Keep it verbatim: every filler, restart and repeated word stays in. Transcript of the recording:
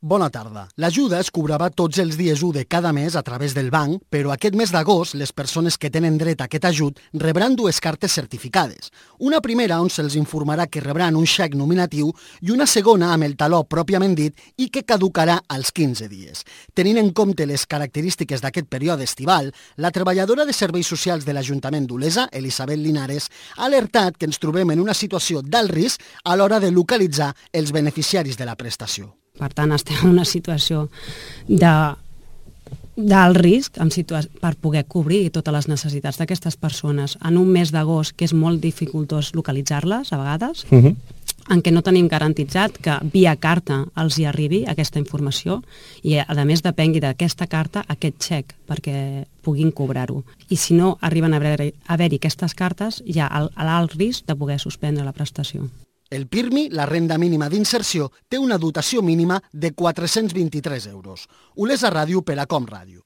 Bona tarda. L'ajuda es cobrava tots els dies u de cada mes a través del banc, però aquest mes d'agost les persones que tenen dret a aquest ajut rebran dues cartes certificades. Una primera on se'ls informarà que rebran un xec nominatiu i una segona amb el taló pròpiament dit i que caducarà als quinze dies. Tenint en compte les característiques d'aquest període estival, la treballadora de Serveis Socials de l'Ajuntament d'Olesa, Elisabet Linares, ha alertat que ens trobem en una situació d'alt risc a l'hora de localitzar els beneficiaris de la prestació. Per tant, estem en una situació de d'alt risc en situa- per poder cobrir totes les necessitats d'aquestes persones en un mes d'agost que és molt dificultós localitzar-les a vegades, uh-huh. en què no tenim garantitzat que via carta els hi arribi aquesta informació i a més depengui d'aquesta carta aquest xec perquè puguin cobrar-ho. I si no arriben a haver-hi, a haver-hi aquestes cartes, hi ha l'alt risc de poder suspendre la prestació. El PIRMI, la renda mínima d'inserció, té una dotació mínima de quatre-cents vint-i-tres euros. Olesa Ràdio per a Com Ràdio.